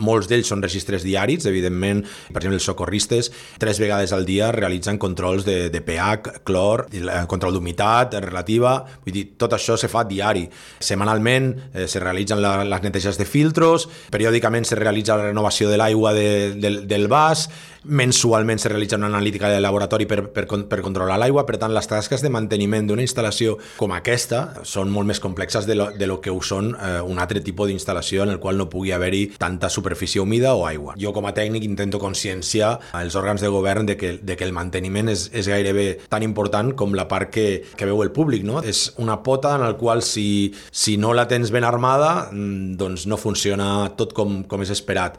Molts d'ells són registres diaris, evidentment, per exemple, els socorristes 3 vegades al dia realitzen controls de pH, clor, control d'humitat relativa, vull dir, tot això se fa diari. Setmanalment se realitzen les neteges de filtros, periòdicament se realitza la renovació de l'aigua del vas, mensualment se realitza una analítica de laboratori per controlar l'aigua. Per tant, les tasques de manteniment d'una instal·lació com aquesta són molt més complexes de lo que ho són un altre tipus d'instal·lació en el qual no pugui haver-hi tanta superfície humida o aigua. Jo com a tècnic intento conscienciar els òrgans de govern de que el manteniment és gairebé tan important com la part que veu el públic, no? És una pota en la qual si no la tens ben armada, doncs no funciona tot com és esperat.